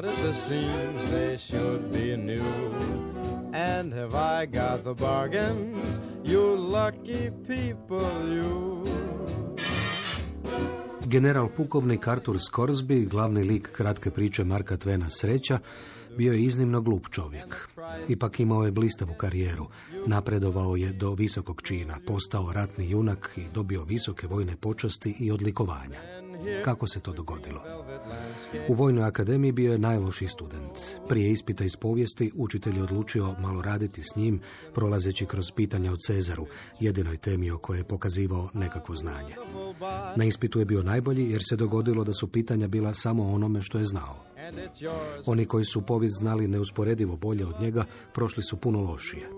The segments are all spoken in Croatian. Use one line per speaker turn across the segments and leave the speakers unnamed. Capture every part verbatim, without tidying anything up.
but at the seams they should be new. And have I got the bargains, you lucky people, you?
General pukovnik Arthur Scoresby, glavni lik kratke priče Marka Twena Sreća, bio je iznimno glup čovjek. Ipak imao je blistavu karijeru. Napredovao je do visokog čina, postao ratni junak i dobio visoke vojne počasti i odlikovanja. Kako se to dogodilo? U Vojnoj akademiji bio je najlošiji student. Prije ispita iz povijesti učitelj je odlučio malo raditi s njim, prolazeći kroz pitanja o Cezaru, jedinoj temi o kojoj je pokazivao nekakvo znanje. Na ispitu je bio najbolji jer se dogodilo da su pitanja bila samo o onome što je znao. Oni koji su povijest znali neusporedivo bolje od njega, prošli su puno lošije.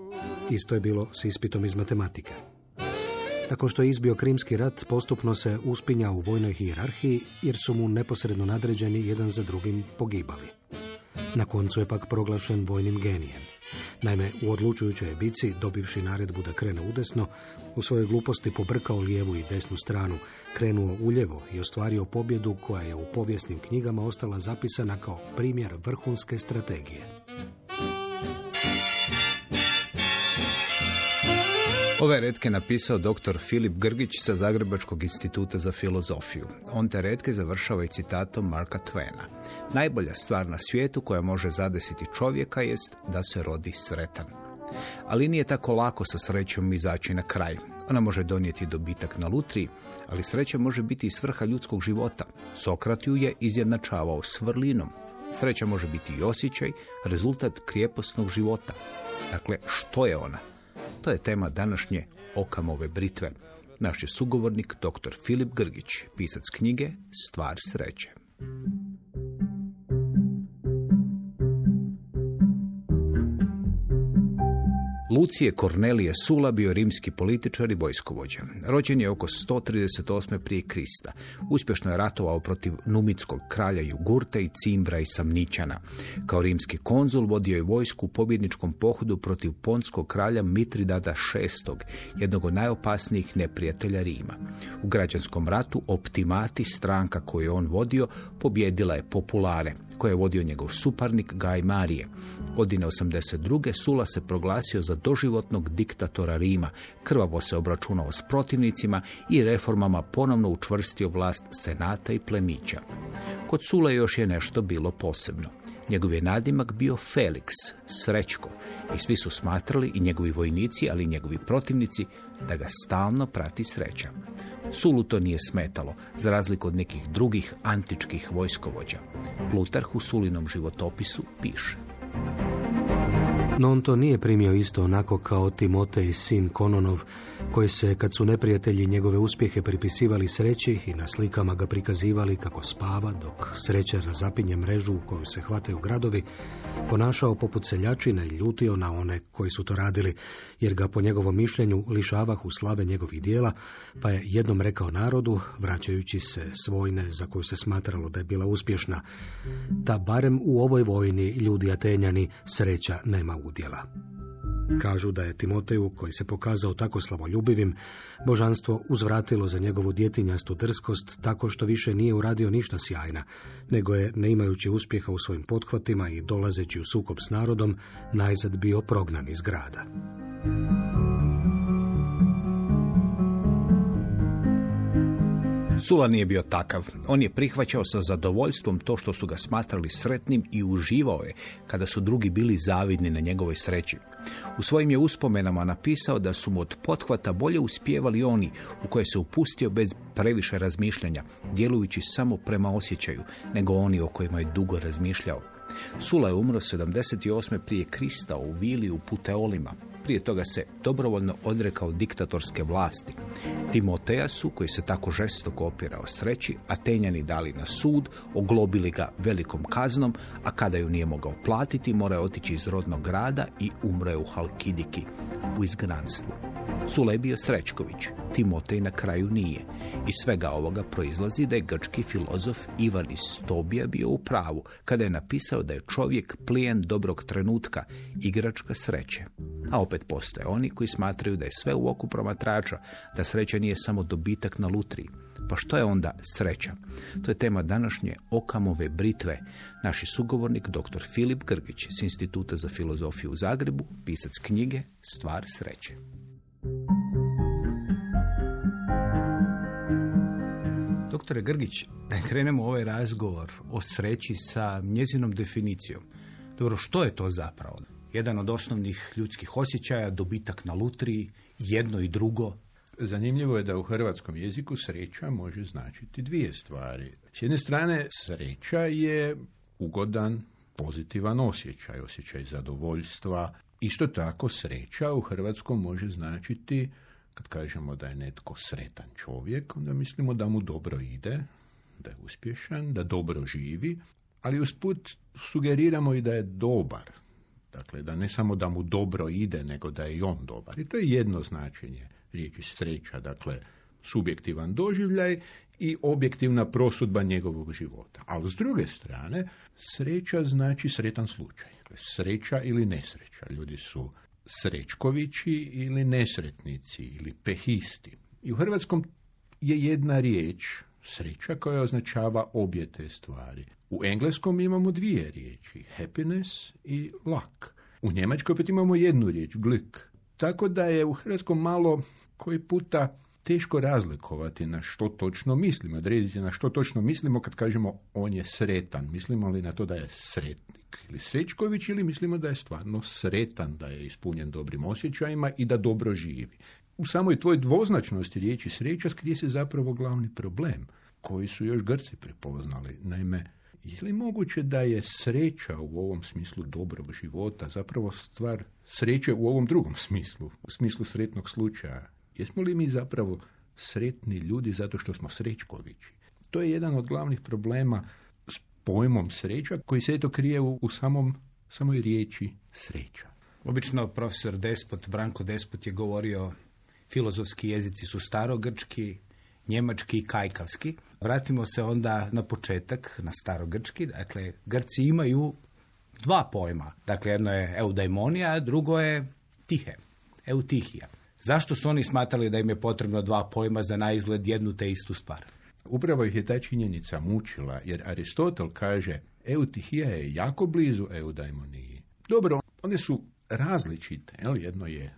Isto je bilo s ispitom iz matematike. Nakon što je izbio Krimski rat, postupno se uspinjao u vojnoj hijerarhiji jer su mu neposredno nadređeni jedan za drugim pogibali. Na koncu je pak proglašen vojnim genijem. Naime, u odlučujućoj bici, dobivši naredbu da krene udesno, u svojoj gluposti pobrkao lijevu i desnu stranu, krenuo uljevo i ostvario pobjedu koja je u povijesnim knjigama ostala zapisana kao primjer vrhunske strategije.
Ove retke napisao doktor Filip Grgić sa Zagrebačkog instituta za filozofiju. On te retke završava i citatom Marka Twena. Najbolja stvar na svijetu koja može zadesiti čovjeka jest da se rodi sretan. Ali nije tako lako sa srećom izaći na kraj. Ona može donijeti dobitak na lutriji, ali sreća može biti i svrha ljudskog života. Sokrat ju je izjednačavao s vrlinom. Sreća može biti i osjećaj, rezultat krijeposnog života. Dakle, što je ona? To je tema današnje Okamove britve. Naš je sugovornik doktor Filip Grgić, pisac knjige Stvar sreće. Lucije Kornelije Sula bio rimski političar i vojskovođa. Rođen je oko sto trideset osme prije Krista. Uspješno je ratovao protiv numitskog kralja Jugurta i Cimbra i Samničana. Kao rimski konzul vodio je vojsku u pobjedničkom pohodu protiv ponskog kralja Mitridata šestog, jednog od najopasnijih neprijatelja Rima. U građanskom ratu Optimati, stranka koju je on vodio, pobjedila je Populare, koje je vodio njegov suparnik Gaj Marije. Godine osamdeset druge Sula se proglasio za doživotnog diktatora Rima, krvavo se obračunao s protivnicima i reformama ponovno učvrstio vlast senata i plemića. Kod Sule još je nešto bilo posebno. Njegov je nadimak bio Felix, Srećko, i svi su smatrali, i njegovi vojnici, ali i njegovi protivnici, da ga stalno prati sreća. Sulu to nije smetalo, za razliku od nekih drugih antičkih vojskovođa. Plutarh u Sulinom životopisu piše:
No on to nije primio isto onako kao Timotej, sin Kononov, koji se, kad su neprijatelji njegove uspjehe pripisivali sreći i na slikama ga prikazivali kako spava, dok sreća razapinje mrežu u koju se hvataju gradovi, ponašao poput seljačina i ljutio na one koji su to radili, jer ga po njegovom mišljenju lišavahu slave njegovih dijela, pa je jednom rekao narodu, vraćajući se s vojne za koju se smatralo da je bila uspješna, da barem u ovoj vojni, ljudi Atenjani, sreća nema udjela. Kažu da je Timoteju, koji se pokazao tako slavoljubivim, božanstvo uzvratilo za njegovu djetinjastu drskost tako što više nije uradio ništa sjajna, nego je, ne imajući uspjeha u svojim pothvatima i dolazeći u sukob s narodom, najzad bio prognan iz grada.
Sula nije bio takav. On je prihvaćao sa zadovoljstvom to što su ga smatrali sretnim i uživao je kada su drugi bili zavidni na njegovoj sreći. U svojim je uspomenama napisao da su mu od pothvata bolje uspijevali oni u koje se upustio bez previše razmišljanja, djelujući samo prema osjećaju, nego oni o kojima je dugo razmišljao. Sula je umro sedamdeset osme prije Krista u vili u Puteolima. Prije toga se dobrovoljno odrekao diktatorske vlasti. Timoteja su, koji se tako žestoko opirao sreći, Atenjani dali na sud, oglobili ga velikom kaznom, a kada ju nije mogao platiti, morao je otići iz rodnog grada i umro je u Halkidiki, u izgnanstvu. Sula je bio Srećković, Timotej na kraju nije. Iz svega ovoga proizlazi da je grčki filozof Ivan iz Stobija bio u pravu kada je napisao da je čovjek plijen dobrog trenutka, igračka sreće. A opet postoje oni koji smatraju da je sve u oku promatrača, da sreća nije samo dobitak na lutriji. Pa što je onda sreća? To je tema današnje Okamove britve. Naši sugovornik, doktor Filip Grgić s Instituta za filozofiju u Zagrebu, pisac knjige Stvar sreće. Doktore Grgić, da krenemo ovaj razgovor o sreći sa njezinom definicijom. Dobro, što je to zapravo? Jedan od osnovnih ljudskih osjećaja, dobitak na lutriji, jedno i drugo.
Zanimljivo je da u hrvatskom jeziku sreća može značiti dvije stvari. S jedne strane, sreća je ugodan, pozitivan osjećaj, osjećaj zadovoljstva. Isto tako, sreća u hrvatskom može značiti, kad kažemo da je netko sretan čovjek, onda mislimo da mu dobro ide, da je uspješan, da dobro živi, ali usput sugeriramo i da je dobar. Dakle, da ne samo da mu dobro ide, nego da je i on dobar. I to je jedno značenje riječi sreća, dakle, subjektivan doživljaj i objektivna prosudba njegovog života. Ali s druge strane, sreća znači sretan slučaj. Sreća ili nesreća. Ljudi su srećkovići ili nesretnici ili pehisti. I u hrvatskom je jedna riječ sreća koja označava obje te stvari. U engleskom imamo dvije riječi, happiness i luck. U njemačkoj opet imamo jednu riječ, glück. Tako da je u hrvatskom malo koji puta teško razlikovati na što točno mislimo, odrediti na što točno mislimo kad kažemo on je sretan. Mislimo li na to da je sretnik ili srećković ili mislimo da je stvarno sretan, da je ispunjen dobrim osjećajima i da dobro živi. U samoj tvojoj dvoznačnosti riječi sreća skrije se zapravo glavni problem koji su još Grci prepoznali. Naime, je li moguće da je sreća u ovom smislu dobrog života zapravo stvar sreće u ovom drugom smislu, u smislu sretnog slučaja? Jesmo li mi zapravo sretni ljudi zato što smo srećkovići? To je jedan od glavnih problema s pojmom sreća koji se eto krije u, u samom, samoj riječi sreća.
Obično profesor Despot, Branko Despot je govorio filozofski jezici su starogrčki, njemački i kajkavski. Vratimo se onda na početak, na starogrčki. Dakle, Grci imaju dva pojma. Dakle, jedno je eudaimonija, a drugo je tihe, eutihija. Zašto su oni smatrali da im je potrebno dva pojma za naizgled jednu te istu stvar?
Upravo ih je ta činjenica mučila, jer Aristotel kaže eutihija je jako blizu eudaimoniji. Dobro, one su različite. Jel? Jedno je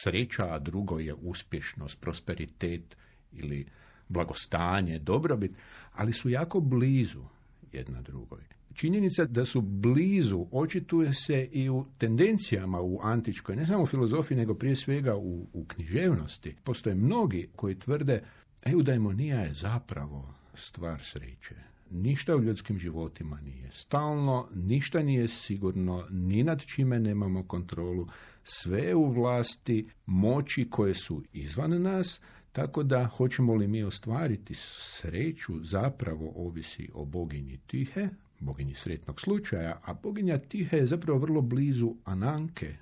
sreća, a drugo je uspješnost, prosperitet ili blagostanje, dobrobit, ali su jako blizu jedna drugoj. Činjenica da su blizu očituje se i u tendencijama u antičkoj, ne samo u filozofiji, nego prije svega u, u književnosti. Postoje mnogi koji tvrde eudaimonija je zapravo stvar sreće. Ništa u ljudskim životima nije stalno, ništa nije sigurno, ni nad čime nemamo kontrolu, sve je u vlasti moći koje su izvan nas, tako da hoćemo li mi ostvariti sreću zapravo ovisi o boginji Tihe, boginji sretnog slučaja, a boginja Tihe je zapravo vrlo blizu Ananke,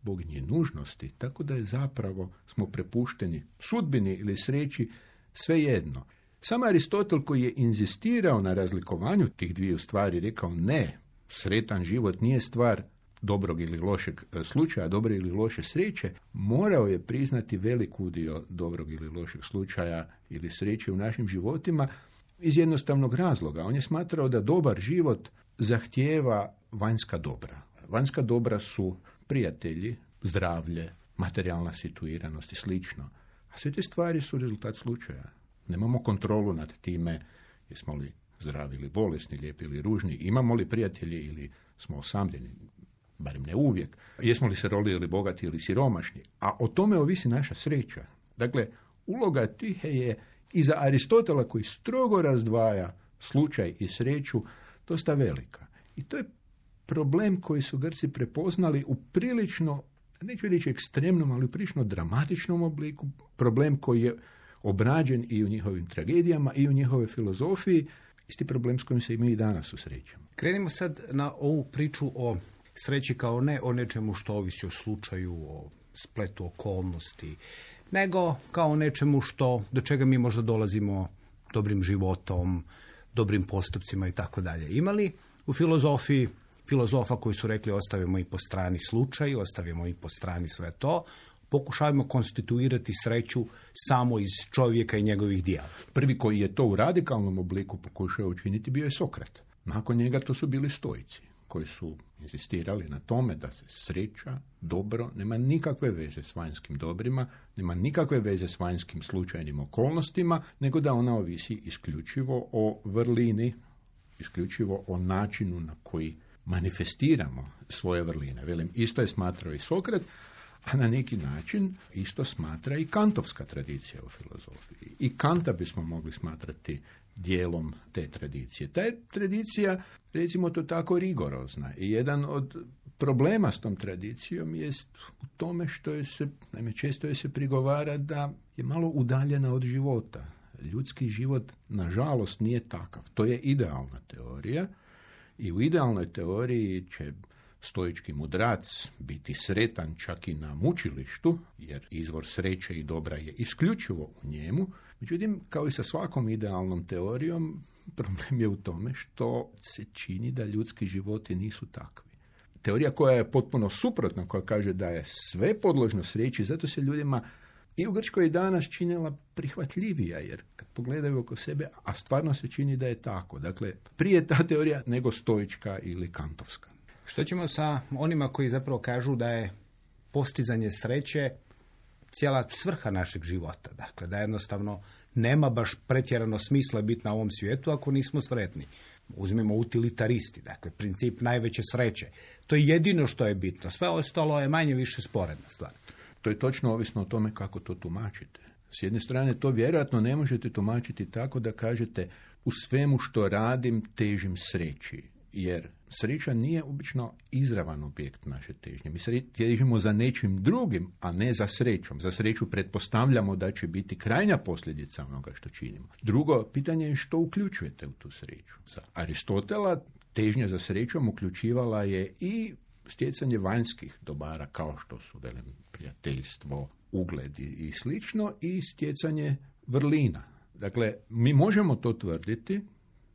boginji nužnosti, tako da je zapravo smo prepušteni sudbini ili sreći svejedno. Sam Aristotel koji je inzistirao na razlikovanju tih dviju stvari rekao ne, sretan život nije stvar dobrog ili lošeg slučaja, dobre ili loše sreće, morao je priznati velik udio dobrog ili lošeg slučaja ili sreće u našim životima iz jednostavnog razloga. On je smatrao da dobar život zahtijeva vanjska dobra. Vanjska dobra su prijatelji, zdravlje, materijalna situiranost i slično. A sve te stvari su rezultat slučaja. Nemamo kontrolu nad time jesmo li zdravi ili bolesni, lijepi ili ružni, imamo li prijatelji ili smo osamljeni, barem ne uvijek, jesmo li se rolili bogati ili siromašni, a o tome ovisi naša sreća. Dakle, uloga Tihe je i za Aristotela koji strogo razdvaja slučaj i sreću dosta velika. I to je problem koji su Grci prepoznali u prilično, neću reći ekstremnom, ali u prilično dramatičnom obliku, problem koji je obrađen i u njihovim tragedijama i u njihovoj filozofiji, isti problem s kojim se i mi danas susrećemo.
Krenimo sad na ovu priču o sreći kao ne o nečemu što ovisi o slučaju, o spletu okolnosti, nego kao o nečemu što, do čega mi možda dolazimo dobrim životom, dobrim postupcima i tako dalje. Ima li u filozofiji filozofa koji su rekli ostavimo i po strani slučaj, ostavimo i po strani sve to, pokušavamo konstituirati sreću samo iz čovjeka i njegovih dijela.
Prvi koji je to u radikalnom obliku pokušao učiniti bio je Sokrat. Nakon njega to su bili stoici, koji su insistirali na tome da se sreća, dobro, nema nikakve veze s vanjskim dobrima, nema nikakve veze s vanjskim slučajnim okolnostima, nego da ona ovisi isključivo o vrlini, isključivo o načinu na koji manifestiramo svoje vrline. Velim, isto je smatrao i Sokrat, a na neki način isto smatra i kantovska tradicija u filozofiji. I Kanta bismo mogli smatrati dijelom te tradicije. Ta je tradicija, recimo to tako, rigorozna. I jedan od problema s tom tradicijom jest u tome što je se, naime često je se prigovara da je malo udaljena od života. Ljudski život, nažalost, nije takav. To je idealna teorija i u idealnoj teoriji će stoički mudrac biti sretan čak i na mučilištu, jer izvor sreće i dobra je isključivo u njemu. Međutim, kao i sa svakom idealnom teorijom, problem je u tome što se čini da ljudski životi nisu takvi. Teorija koja je potpuno suprotna, koja kaže da je sve podložno sreći, zato se ljudima i u Grčkoj i danas činila prihvatljivija, jer kad pogledaju oko sebe, a stvarno se čini da je tako. Dakle, prije ta teorija nego stoička ili kantovska.
Što ćemo sa onima koji zapravo kažu da je postizanje sreće cijela svrha našeg života? Dakle, da jednostavno nema baš pretjerano smisla biti na ovom svijetu ako nismo sretni. Uzmemo utilitaristi, dakle, princip najveće sreće. To je jedino što je bitno. Sve ostalo je manje više sporedna stvar.
To je točno ovisno o tome kako to tumačite. S jedne strane, to vjerojatno ne možete tumačiti tako da kažete u svemu što radim težim sreći. Jer sreća nije obično izravan objekt naše težnje. Mi težimo za nečim drugim, a ne za srećom. Za sreću pretpostavljamo da će biti krajnja posljedica onoga što činimo. Drugo, pitanje je što uključujete u tu sreću. Za Aristotela težnja za srećom uključivala je i stjecanje vanjskih dobara, kao što su, velim, prijateljstvo, ugled i slično, i stjecanje vrlina. Dakle, mi možemo to tvrditi,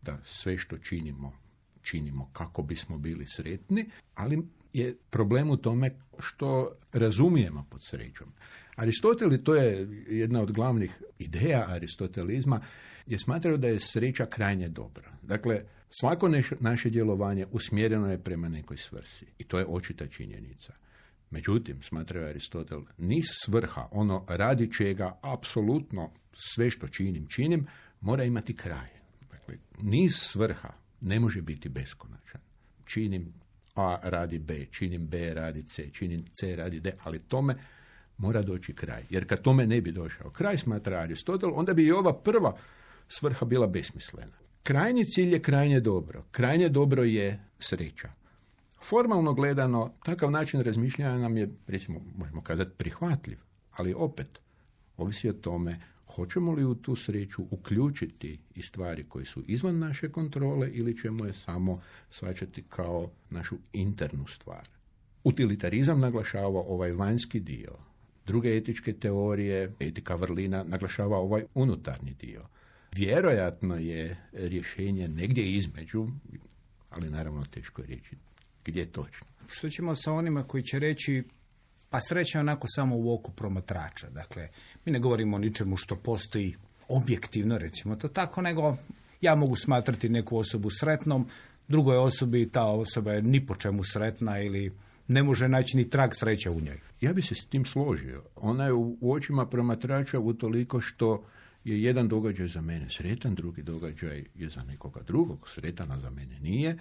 da sve što činimo, činimo kako bismo bili sretni, ali je problem u tome što razumijemo pod srećom. Aristotel, to je jedna od glavnih ideja aristotelizma, je smatrao da je sreća krajnje dobra. Dakle, svako naše djelovanje usmjereno je prema nekoj svrsi i to je očita činjenica. Međutim, smatrao je Aristotel, niz svrha, ono radi čega apsolutno sve što činim, činim, mora imati kraj. Dakle, niz svrha ne može biti beskonačan. Činim A radi B, činim B radi C, činim C radi D, ali tome mora doći kraj. Jer kad tome ne bi došao kraj, smatra Aristotel, onda bi i ova prva svrha bila besmislena. Krajnji cilj je krajnje dobro. Krajnje dobro je sreća. Formalno gledano, takav način razmišljanja nam je, recimo, možemo kazati, prihvatljiv, ali opet ovisi o tome hoćemo li u tu sreću uključiti i stvari koje su izvan naše kontrole ili ćemo je samo shvaćati kao našu internu stvar. Utilitarizam naglašava ovaj vanjski dio. Druge etičke teorije, etika vrlina, naglašava ovaj unutarnji dio. Vjerojatno je rješenje negdje između, ali naravno teško je reći gdje je točno.
Što ćemo sa onima koji će reći pa sreća je onako samo u oku promatrača. Dakle, mi ne govorimo o ničemu što postoji objektivno, recimo to tako, nego ja mogu smatrati neku osobu sretnom, drugoj osobi ta osoba je ni po čemu sretna ili ne može naći ni trag sreće u njoj.
Ja bi se s tim složio. Ona je u, u očima promatrača utoliko što je jedan događaj za mene sretan, drugi događaj je za nekoga drugog sretan, a za mene nije.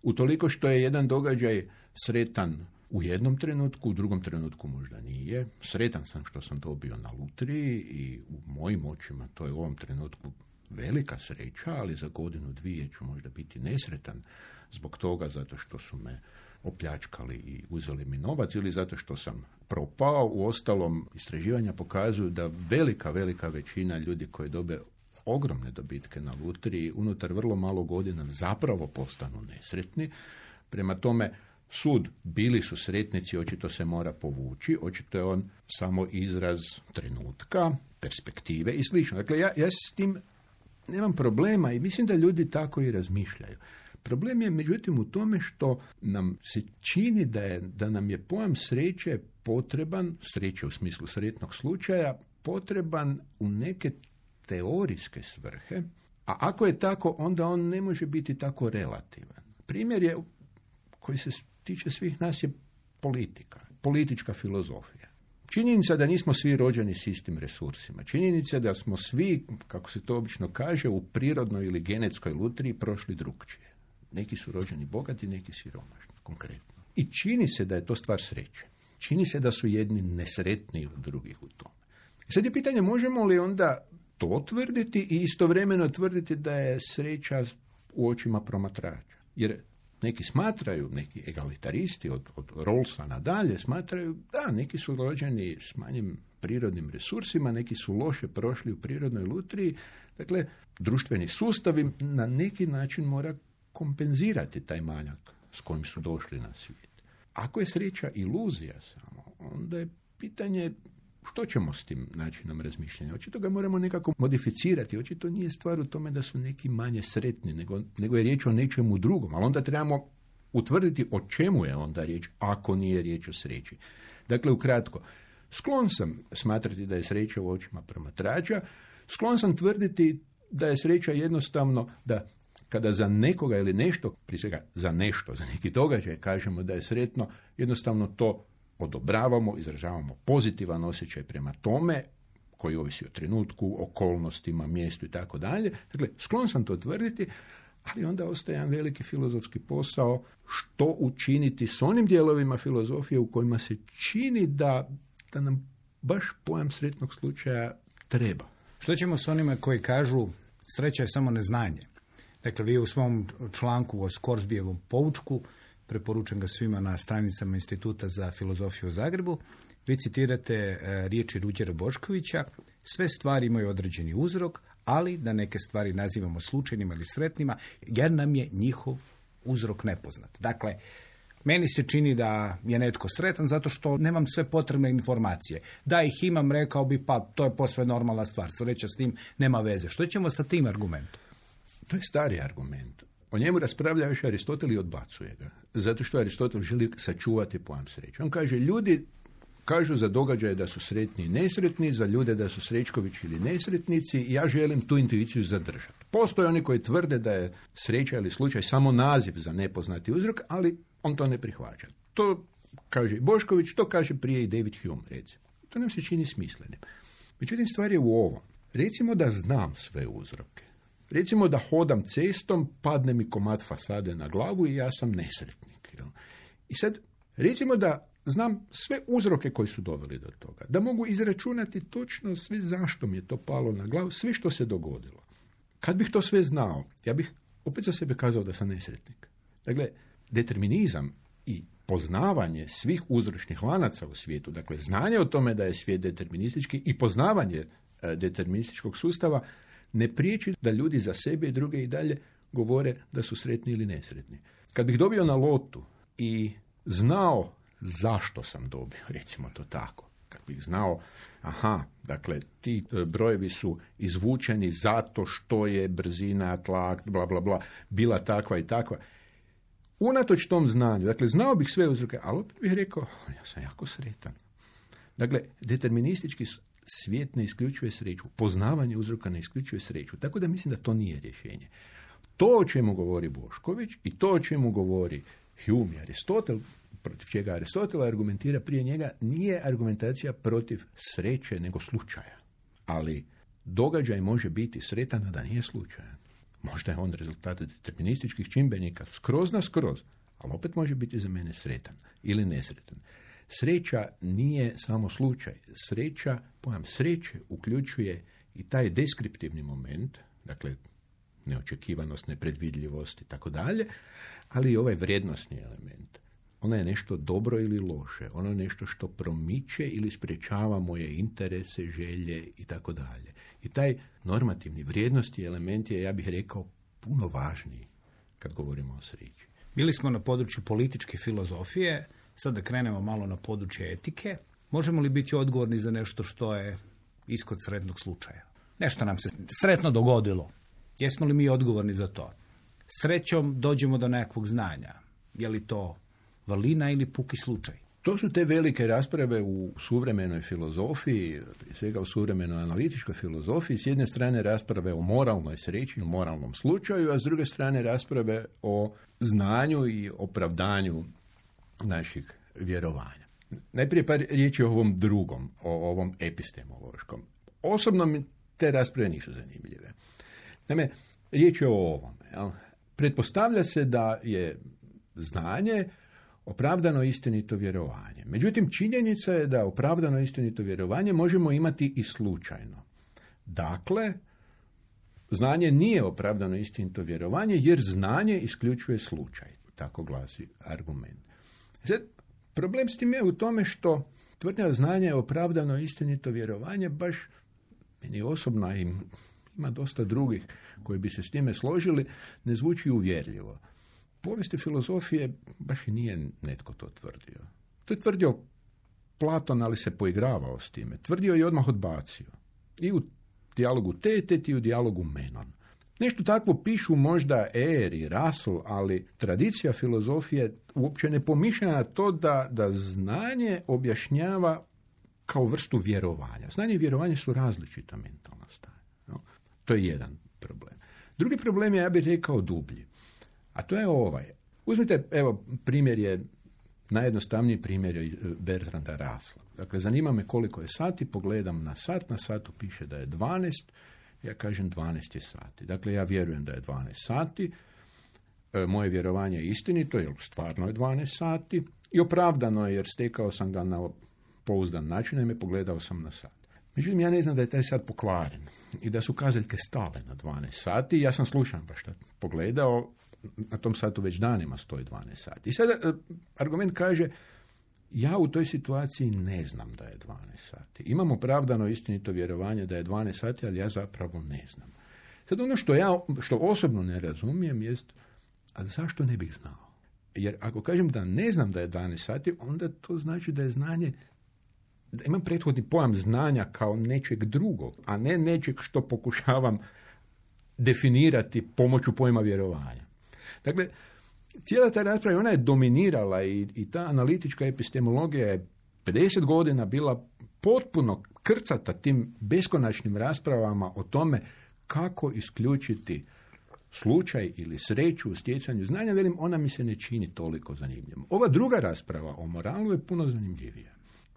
Utoliko što je jedan događaj sretan u jednom trenutku, u drugom trenutku možda nije. Sretan sam što sam dobio na lutriji i u mojim očima to je u ovom trenutku velika sreća, ali za godinu, dvije ću možda biti nesretan zbog toga, zato što su me opljačkali i uzeli mi novac ili zato što sam propao. U ostalom, istraživanja pokazuju da velika, velika većina ljudi koji dobe ogromne dobitke na lutriji unutar vrlo malo godina zapravo postanu nesretni. Prema tome, sud bili su sretnici, očito se mora povući, očito je on samo izraz trenutka, perspektive i slično. Dakle, ja, ja s tim nemam problema i mislim da ljudi tako i razmišljaju. Problem je međutim u tome što nam se čini da, je, da nam je pojam sreće potreban, sreće u smislu sretnog slučaja, potreban u neke teorijske svrhe, a ako je tako, onda on ne može biti tako relativan. Primjer je, koji se tiče svih nas, je politika, politička filozofija. Činjenica da nismo svi rođeni s istim resursima. Činjenica da smo svi, kako se to obično kaže, u prirodnoj ili genetskoj lutriji prošli drugčije. Neki su rođeni bogati, neki siromašni, konkretno. I čini se da je to stvar sreće. Čini se da su jedni nesretniji od drugih u tome. I sad je pitanje, možemo li onda to tvrditi i istovremeno tvrditi da je sreća u očima promatrača? Jer neki smatraju, neki egalitaristi od, od Rawlsa nadalje smatraju da neki su rođeni s manjim prirodnim resursima, neki su loše prošli u prirodnoj lutriji. Dakle, društveni sustav na neki način mora kompenzirati taj manjak s kojim su došli na svijet. Ako je sreća iluzija samo, onda je pitanje što ćemo s tim načinom razmišljanja. Očito ga moramo nekako modificirati. Očito nije stvar u tome da su neki manje sretni, nego, nego je riječ o nečemu drugom. Ali onda trebamo utvrditi o čemu je onda riječ, ako nije riječ o sreći. Dakle, ukratko, sklon sam smatrati da je sreća u očima promatrača, sklon sam tvrditi da je sreća jednostavno da kada za nekoga ili nešto, prije svega za nešto, za neki događaj kažemo da je sretno, jednostavno to odobravamo, izražavamo pozitivan osjećaj prema tome, koji ovisi o trenutku, okolnostima, mjestu i tako dalje. Dakle, sklon sam to tvrditi, ali onda ostaje jedan veliki filozofski posao što učiniti s onim dijelovima filozofije u kojima se čini da, da nam baš pojam sretnog slučaja treba.
Što ćemo s onima koji kažu sreća je samo neznanje? Dakle, vi u svom članku o Scoresbyevom poučku, preporučujem ga svima na stranicama Instituta za filozofiju u Zagrebu, vi citirate e, riječi Ruđera Boškovića, sve stvari imaju određeni uzrok, ali da neke stvari nazivamo slučajnima ili sretnima, jer nam je njihov uzrok nepoznat. Dakle, meni se čini da je netko sretan zato što nemam sve potrebne informacije. Da ih imam, rekao bi, pa to je posve normalna stvar, sreća s tim nema veze. Što ćemo sa tim argumentom?
To je stari argument. O njemu raspravlja još Aristotel i odbacuje ga. Zato što Aristotel želi sačuvati pojam sreće. On kaže, ljudi kažu za događaje da su sretni i nesretni, za ljude da su srećkovići ili nesretnici, i ja želim tu intuiciju zadržati. Postoje oni koji tvrde da je sreća ili slučaj samo naziv za nepoznati uzrok, ali on to ne prihvaća. To kaže i Bošković, to kaže prije i David Hume, recimo. To nam se čini smislenim. Međutim, stvar je u ovom. Recimo da znam sve uzroke. Recimo da hodam cestom, padne mi komad fasade na glavu i ja sam nesretnik. Jel? I sad, recimo da znam sve uzroke koji su doveli do toga. Da mogu izračunati točno sve zašto mi je to palo na glavu, sve što se dogodilo. Kad bih to sve znao, ja bih opet za sebe kazao da sam nesretnik. Dakle, determinizam i poznavanje svih uzročnih lanaca u svijetu, dakle, znanje o tome da je svijet deterministički i poznavanje e, determinističkog sustava, ne priječi da ljudi za sebe i druge i dalje govore da su sretni ili nesretni. Kad bih dobio na lotu i znao zašto sam dobio, recimo to tako, kad bih znao, aha, dakle, ti brojevi su izvučeni zato što je brzina, tlak, bla, bla, bla, bila takva i takva. Unatoč tom znanju, dakle, znao bih sve uzroke, ali opet bih rekao, ja sam jako sretan. Dakle, deterministički svijet ne isključuje sreću, poznavanje uzroka ne isključuje sreću, tako da mislim da to nije rješenje. To o čemu govori Bošković i to o čemu govori Hume i Aristotel, protiv čega Aristotel argumentira prije njega, nije argumentacija protiv sreće nego slučaja. Ali događaj može biti sretan, a da nije slučajan. Možda je on rezultat determinističkih čimbenika skroz na skroz, ali opet može biti za mene sretan ili nesretan. Sreća nije samo slučaj. Sreća, pojam sreće uključuje i taj deskriptivni moment, dakle neočekivanost, nepredvidljivost i tako dalje, ali i ovaj vrijednosni element. Ona je nešto dobro ili loše, ono je nešto što promiče ili sprečava moje interese, želje i tako dalje. I taj normativni vrijednosti element je, ja bih rekao, puno važniji kad govorimo o sreći.
Bili smo na području političke filozofije, sad da krenemo malo na područje etike. Možemo li biti odgovorni za nešto što je ishod sretnog slučaja? Nešto nam se sretno dogodilo. Jesmo li mi odgovorni za to? Srećom dođemo do nekakvog znanja. Je li to valina ili puki slučaj?
To su te velike rasprave u suvremenoj filozofiji, prije svega u suvremenoj analitičkoj filozofiji. S jedne strane rasprave o moralnoj sreći, o moralnom slučaju, a s druge strane rasprave o znanju i opravdanju naših vjerovanja. Najprije par riječi o ovom drugom, o ovom epistemološkom. Osobno mi te rasprave nisu zanimljive. Naime, riječ je o ovom. Jel? Pretpostavlja se da je znanje opravdano istinito vjerovanje. Međutim, činjenica je da opravdano istinito vjerovanje možemo imati i slučajno. Dakle, znanje nije opravdano istinito vjerovanje jer znanje isključuje slučaj. Tako glasi argument. Sad, problem s tim je u tome što tvrdnja znanja je opravdano istinito vjerovanje, baš meni osobno i ima dosta drugih koji bi se s time složili, ne zvuči uvjerljivo. Povijesti filozofije baš i nije netko to tvrdio. To je tvrdio Platon, ali se poigravao s time. Tvrdio i odmah odbacio. I u dijalogu Tetet i u dijalogu Menon. Nešto takvo pišu možda Eyre i Russell, ali tradicija filozofije uopće ne pomišlja na to da, da znanje objašnjava kao vrstu vjerovanja. Znanje i vjerovanje su različita mentalna stanja. No? To je jedan problem. Drugi problem je, ja bih rekao, dublji. A to je ovaj. Uzmite, evo, primjer je, najjednostavniji primjer je Bertranda Russella. Dakle, zanima me koliko je sati, pogledam na sat, na satu piše da je dvanaest, ja kažem dvanaest je sati. Dakle, ja vjerujem da je dvanaest sati, e, moje vjerovanje je istinito, jer stvarno je dvanaest sati, i opravdano je jer stekao sam ga na pouzdan način, i me pogledao sam na sat. Međutim, ja ne znam da je taj sat pokvaren i da su kazaljke stale na dvanaest sati. Ja sam slučajno baš to pogledao, na tom satu već danima stoji dvanaest sati. I sada argument kaže, ja u toj situaciji ne znam da je dvanaest sati. Imam opravdano istinito vjerovanje da je dvanaest sati, ali ja zapravo ne znam. Sad ono što ja, što osobno ne razumijem jest, a zašto ne bih znao? Jer ako kažem da ne znam da je dvanaest sati, onda to znači da je znanje, da imam prethodni pojam znanja kao nečeg drugog, a ne nečeg što pokušavam definirati pomoću pojma vjerovanja. Dakle, cijela ta rasprava, ona je dominirala i, i ta analitička epistemologija je pedeset godina bila potpuno krcata tim beskonačnim raspravama o tome kako isključiti slučaj ili sreću u stjecanju znanja. Velim, ona mi se ne čini toliko zanimljivom. Ova druga rasprava o moralu je puno zanimljivija,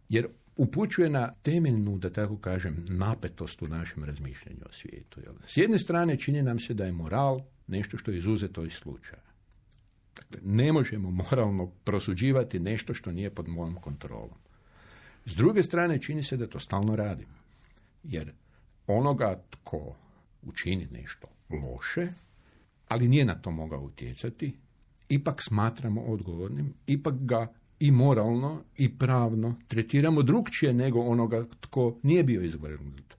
jer upućuje na temeljnu, da tako kažem, napetost u našem razmišljanju o svijetu. Jel? S jedne strane čini nam se da je moral nešto što je izuzeto iz slučaja. Dakle, ne možemo moralno prosuđivati nešto što nije pod mojom kontrolom. S druge strane čini se da to stalno radimo. Jer onoga tko učini nešto loše, ali nije na to mogao utjecati, ipak smatramo odgovornim, ipak ga i moralno i pravno tretiramo drukčije nego onoga tko nije bio izvrgnut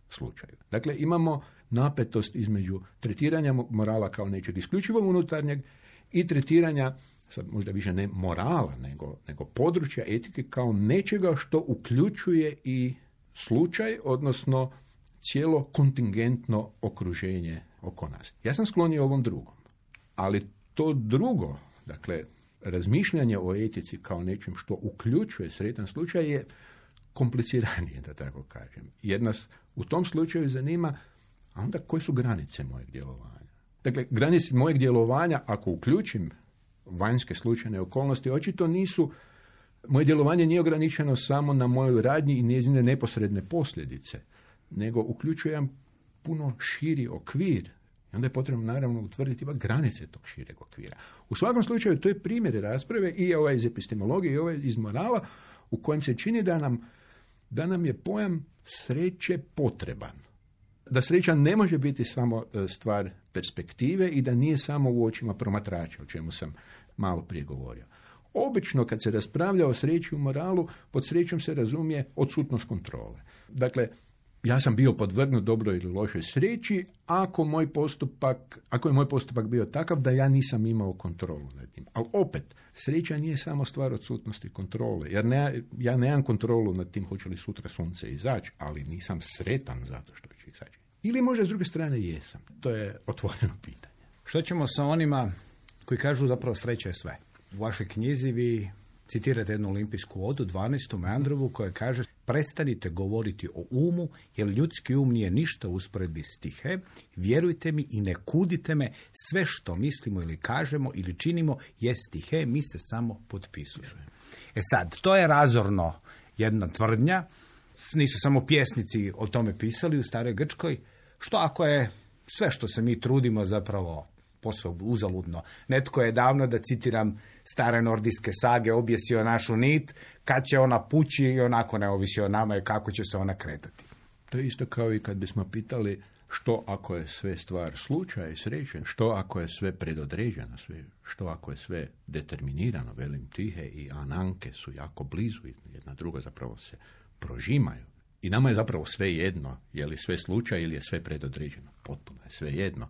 slučaju. Dakle, imamo napetost između tretiranja morala kao nečeg isključivo unutarnjeg i tretiranja, sad možda više ne morala, nego, nego područja etike kao nečega što uključuje i slučaj, odnosno cijelo kontingentno okruženje oko nas. Ja sam sklonio ovom drugom, ali to drugo, dakle, razmišljanje o etici kao nečem što uključuje sretan slučaj je kompliciranije, da tako kažem. Jer nas u tom slučaju zanima, a onda koje su granice mojeg djelovanja? Dakle, granice mojeg djelovanja, ako uključim vanjske slučajne okolnosti, očito nisu, moje djelovanje nije ograničeno samo na mojoj radnji i njezine neposredne posljedice, nego uključujem puno širi okvir. I onda je potrebno naravno utvrditi granice tog šireg okvira. U svakom slučaju, to je primjer rasprave i ovaj iz epistemologije i ovaj iz morala, u kojem se čini da nam, da nam je pojam sreće potreban. Da sreća ne može biti samo stvar perspektive i da nije samo u očima promatrača, o čemu sam malo prije govorio. Obično kad se raspravlja o sreći u moralu, pod srećom se razumije odsutnost kontrole. Dakle, ja sam bio podvrgnut dobroj ili lošoj sreći ako moj postupak, ako je moj postupak bio takav da ja nisam imao kontrolu nad tim. Ali opet, sreća nije samo stvar odsutnosti kontrole, jer ne, ja nemam kontrolu nad tim hoće li sutra sunce izaći, ali nisam sretan zato što će izaći. Ili možda s druge strane jesam. To je otvoreno pitanje.
Što ćemo sa onima koji kažu zapravo sreća je sve? U vašoj knjizi vi citirate jednu olimpijsku odu, dvanaestu Meandrovu, koja kaže: prestanite govoriti o umu, jer ljudski um nije ništa u usporedbi s stihe. Vjerujte mi i ne kudite me, sve što mislimo ili kažemo ili činimo je stihe, mi se samo potpisujemo. E sad, to je razorno jedna tvrdnja. Nisu samo pjesnici o tome pisali u staroj Grčkoj. Što ako je sve što se mi trudimo zapravo posve uzaludno? Netko je davno, da citiram stare nordijske sage, objesio našu nit, kad će ona pući i onako ne ovisi o nama i kako će se ona kretati.
To je isto kao i kad bismo pitali što ako je sve stvar slučaja i sreće, što ako je sve predodređeno, sve, što ako je sve determinirano, velim Tihe i Ananke su jako blizu, jedna druga zapravo se prožimaju. I nama je zapravo sve jedno, je li sve slučaj ili je sve predodređeno. Potpuno je sve jedno.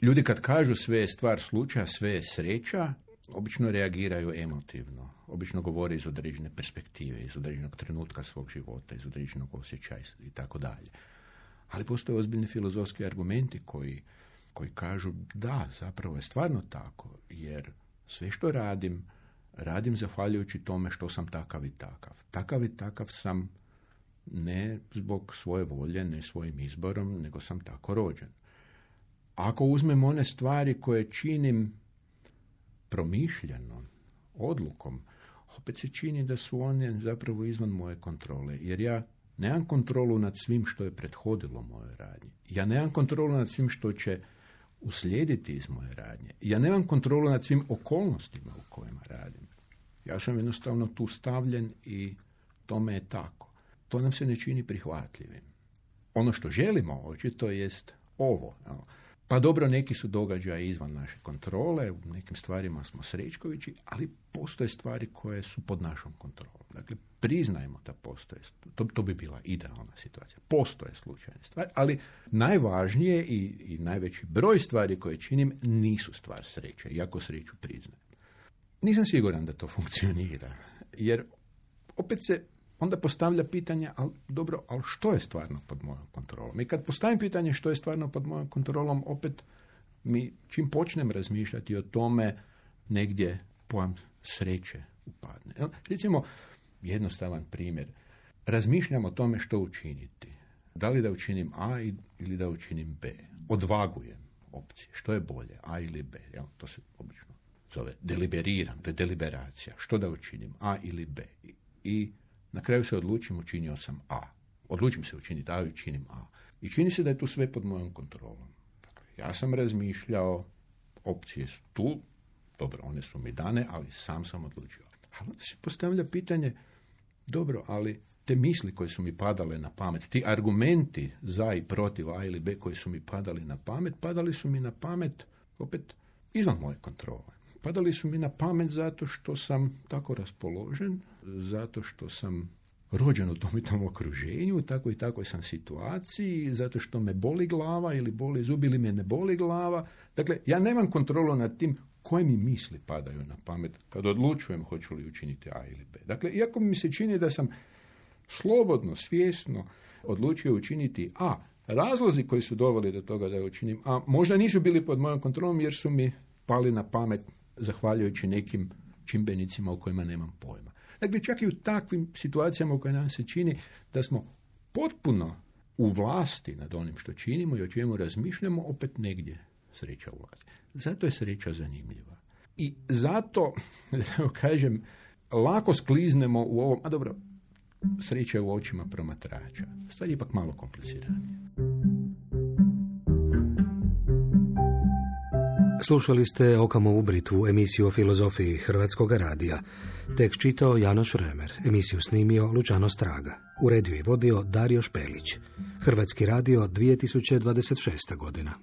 Ljudi kad kažu sve je stvar slučaja, sve je sreća, obično reagiraju emotivno. Obično govore iz određene perspektive, iz određenog trenutka svog života, iz određenog osjećaja i tako dalje. Ali postoje ozbiljni filozofski argumenti koji, koji kažu da, zapravo je stvarno tako, jer sve što radim, radim zahvaljujući tome što sam takav i takav. Takav i takav sam ne zbog svoje volje, ne svojim izborom, nego sam tako rođen. Ako uzmem one stvari koje činim promišljeno, odlukom, opet se čini da su one zapravo izvan moje kontrole, jer ja nemam kontrolu nad svim što je prethodilo moje radnje. Ja nemam kontrolu nad svim što će uslijediti iz moje radnje. Ja nemam kontrolu nad svim okolnostima u kojima radim. Ja sam jednostavno tu stavljen i tome je tako. To nam se ne čini prihvatljivim. Ono što želimo očito jest ovo. Pa dobro, neki su događaji izvan naše kontrole, u nekim stvarima smo srećkovići, ali postoje stvari koje su pod našom kontrolom. Dakle, priznajmo da postoje, to, to bi bila idealna situacija. Postoje slučajne stvari, ali najvažnije i, i najveći broj stvari koje činim nisu stvar sreće, iako sreću priznajem. Nisam siguran da to funkcionira, jer opet se onda postavlja pitanje, ali dobro, ali što je stvarno pod mojom kontrolom? I kad postavim pitanje što je stvarno pod mojom kontrolom, opet mi, čim počnem razmišljati o tome, negdje pojam sreće upadne. Recimo, jednostavan primjer. Razmišljam o tome što učiniti. Da li da učinim A ili da učinim B. Odvagujem opcije. Što je bolje, A ili B? Jel? To se obično zove deliberiram, to je deliberacija. Što da učinim, A ili B? I, i na kraju se odlučim, učinio sam A. Odlučim se učiniti A i učinim A. I čini se da je tu sve pod mojom kontrolom. Dakle, ja sam razmišljao, opcije su tu, dobro, one su mi dane, ali sam sam odlučio. Ali onda se postavlja pitanje, dobro, ali te misli koje su mi padale na pamet, ti argumenti za i protiv A ili B koji su mi padali na pamet, padali su mi na pamet opet izvan moje kontrole. Padali su mi na pamet zato što sam tako raspoložen, zato što sam rođen u tom i tom okruženju, u takvoj i takvoj sam situaciji, zato što me boli glava ili boli zub ili me ne boli glava. Dakle, ja nemam kontrolu nad tim koje mi misli padaju na pamet kad odlučujem hoću li učiniti A ili B. Dakle, iako mi se čini da sam slobodno, svjesno odlučio učiniti A, razlozi koji su doveli do toga da učinim A možda nisu bili pod mojom kontrolom jer su mi pali na pamet zahvaljujući nekim čimbenicima o kojima nemam pojma. Dakle, čak i u takvim situacijama u kojima nam se čini da smo potpuno u vlasti nad onim što činimo i o čemu razmišljamo, opet negdje sreća ulazi. Zato je sreća zanimljiva. I zato, da kažem, lako skliznemo u ovom, a dobro, sreća u očima promatrača. Stvar je ipak malo kompliciranije.
Slušali ste Okamovu Britvu, emisiju o filozofiji Hrvatskog radija. Tekst čitao Janoš Remer, emisiju snimio Lučano Straga. Uredio i vodio Dario Špelić. Hrvatski radio dvije tisuće dvadeset šesta godina.